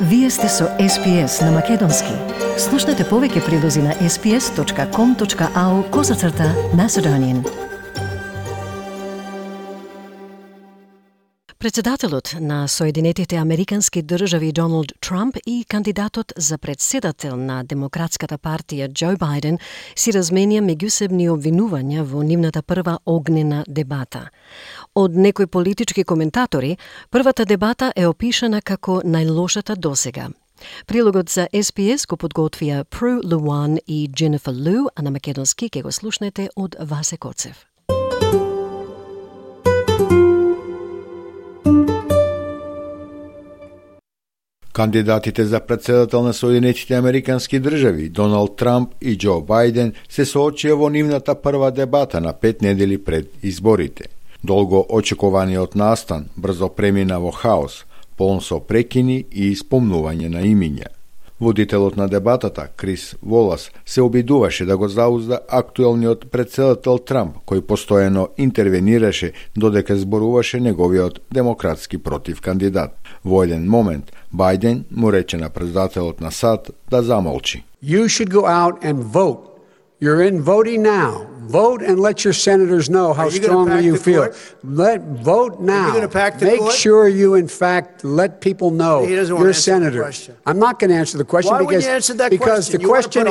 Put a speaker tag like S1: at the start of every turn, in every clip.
S1: Вие сте со SPS на Македонски. Слушнете повеќе прилози на sps.com.au/Macedonian. Председателот на Соединетите Американски држави Доналд Трамп и кандидатот за председател на Демократската партија Џо Бајден си разменија меѓусебни обвинувања во нивната прва огнена дебата. Од некои политички коментатори, првата дебата е опишана како најлошата досега. Прилогот за SPS го подготвија Пру Луан и Дженефер Лу, а на македонски ќе го слушнете од Васе Коцев.
S2: Кандидатите за председател на Соединетите Американски држави, Доналд Трамп и Џо Бајден, се соочија во нивната прва дебата на 5 недели пред изборите. Долго очекуваниот настан брзо премина во хаос, полн со прекини и спомнување на имиња. Водителот на дебатата, Крис Волас, се обидуваше да го заузда актуелниот председател Трамп, кој постојано интервенираше додека зборуваше неговиот демократски против кандидат. Во еден момент, Бајден му рече на председателот на САД да замолчи.
S3: You should go out and vote. You're in voting now. Vote and let your senators know how strongly you feel. Vote now. Make sure you, in fact, let people know you're a senator. I'm not going to answer the question because the question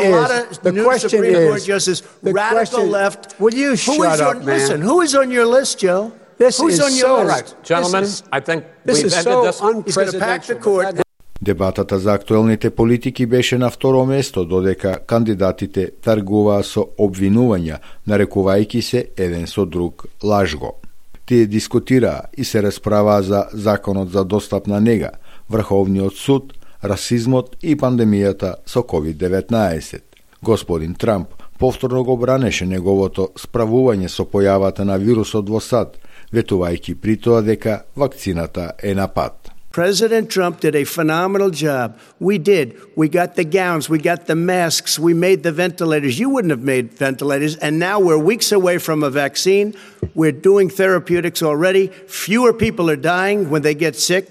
S3: is
S4: radical left.
S3: Will you shut up, man?
S4: Listen, who is on your list, Joe?
S3: Who's
S4: on your list?
S5: Right. Gentlemen, I think we've ended this.
S4: He's going to pack the court.
S2: Дебатата за актуелните политики беше на второ место, додека кандидатите тргуваа со обвинувања, нарекувајќи се еден со друг лажго. Тие дискутираа и се расправаа за законот за достапна нега, Врховниот суд, расизмот и пандемијата со COVID-19. Господин Трамп повторно го бранеше неговото справување со појавата на вирусот во САД, ветувајќи при тоа дека вакцината е на пат.
S4: President Trump did a phenomenal job. We did. We got the gowns, we got the masks, we made the ventilators. You wouldn't have made ventilators, and now we're weeks away from a vaccine. We're doing therapeutics already. Fewer people are dying when they get sick.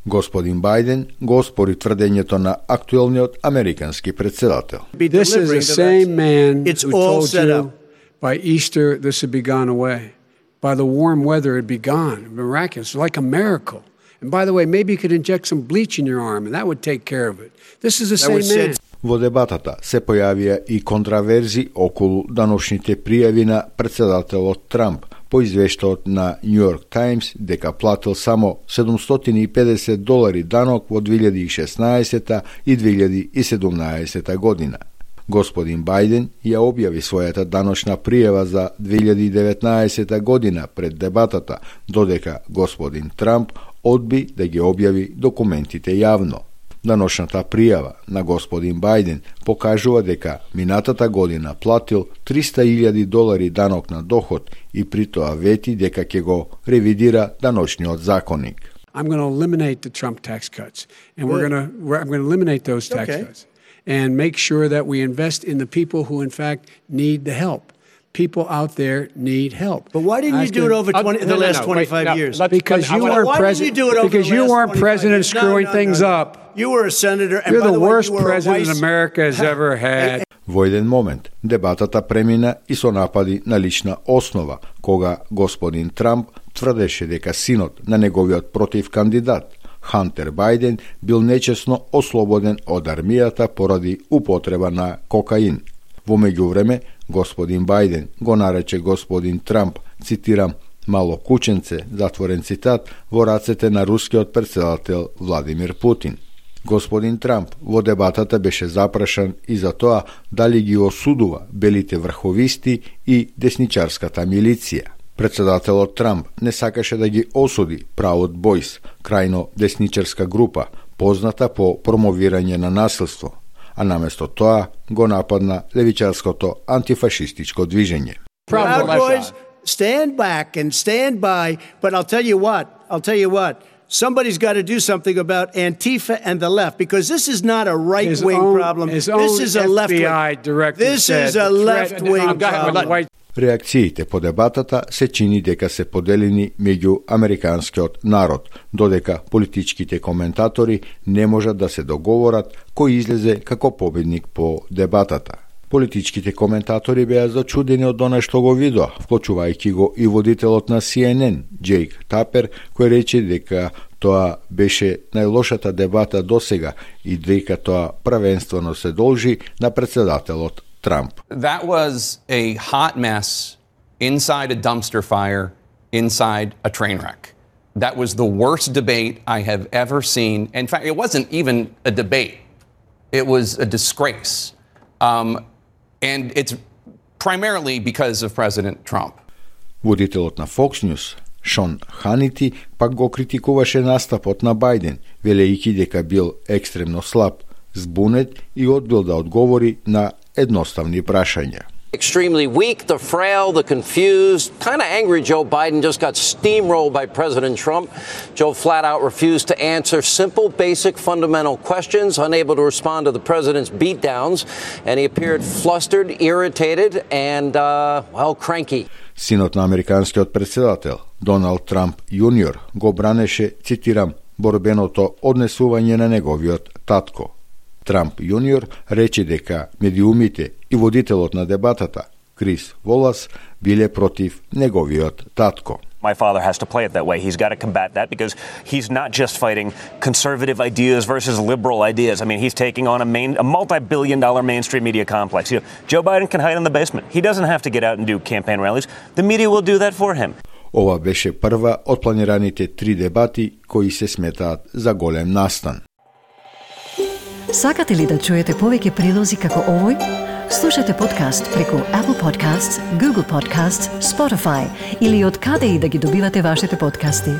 S2: Господин Бајден го оспори тврдењето на актуелниот американски председател.
S3: This is the same man who told you by Easter this would be gone away. By the warm weather it'd be gone. Miraculous, like a miracle. And by the way, maybe you could inject some bleach in your arm and that would take care of it. This is the same man.
S2: Во дебатата се појавија и контраверзи околу даношните пријави на председателот Трамп по извештаот на New York Times дека платил само $750 данок во 2016 и 2017 година. Господин Бајден ја објави својата даночна пријава за 2019 година пред дебатата, додека господин Трамп одби да ги објави документите јавно. Даночната пријава на господин Бајден покажува дека минатата година платил $300,000 данок на доход и при тоа вети дека ќе го ревидира даночниот законник.
S3: I'm going to eliminate the Trump tax cuts and I'm going to eliminate those tax cuts and make sure that we invest in the people who in fact need the help. People out there need help.
S4: But why didn't you do it over the last 25 years?
S3: Because you weren't president screwing things up.
S4: You were a senator. And
S3: you're the worst president America has ever had.
S2: Во еден момент, дебатата премина и со напади на лична основа, кога господин Трамп тврдеше дека синот на неговиот против кандидат, Хантер Бајден, бил нечесно ослободен од армијата поради употреба на кокаин. Во меѓувреме, господин Бајден го нарече господин Трамп, цитирам, мало кученце, затворен цитат, во рацете на рускиот председател Владимир Путин. Господин Трамп во дебатата беше запрашан и за тоа дали ги осудува белите врховисти и десничарската милиција. Председателот Трамп не сакаше да ги осуди Proud Boys, крајно десничарска група, позната по промовирање на насилство, а наместо тоа го нападна левичарското антифашистичко движење.
S4: Proud Boys, stand back and stand by, but I'll tell you what, somebody's got to do something about Antifa and the left, because this is not a right-wing problem. This is a left-wing.
S3: This is a left-wing problem.
S2: Реакциите по дебатата се чини дека се поделени меѓу американскиот народ, додека политичките коментатори не можат да се договорат кој излезе како победник по дебатата. Политичките коментатори беа зачудени од она што го видоа, вклучувајќи го и водителот на CNN, Джейк Тапер, кој рече дека тоа беше најлошата дебата досега и дека тоа првенствено се должи на председателот Трамп.
S6: That was a hot mess inside a dumpster fire, inside a train wreck. That was the worst debate I have ever seen. In fact, it wasn't even a debate. It was a disgrace. And it's primarily because of President Trump.
S2: Водителот на Fox News, Шон Ханити, пак го критикуваше настапот на Бајден, велејќи дека бил екстремно слаб, збунет и одбил да одговори на едноставни прашања.
S7: Extremely weak, the frail, the confused, kind of angry Joe Biden just got steamrolled by President Trump. Joe flat out refused to answer simple, basic, fundamental questions, unable to respond to the president's beatdowns, and he appeared flustered, irritated, and, cranky.
S2: Синот на американскиот председател, Доналд Трамп Јуниор, го бранеше, цитирам, борбеното однесување на неговиот татко. Трамп Јуниор рече дека медиумите и водителот на дебатата, Крис Волас, биле против неговиот татко.
S8: My father has to play it that way. He's got to combat that because he's not just fighting conservative ideas versus liberal ideas. I mean, he's taking on a multi-billion-dollar mainstream media complex. You know, Joe Biden can hide in the basement. He doesn't have to get out and do campaign rallies. The media will do that for him.
S2: Ова беше прва од планираните 3 дебати кои се сметаат за голем настан.
S1: Сакате ли да чуете повеќе прилози како овој? Слушате подкаст преку Apple Podcasts, Google Podcasts, Spotify или од каде и да ги добивате вашите подкасти.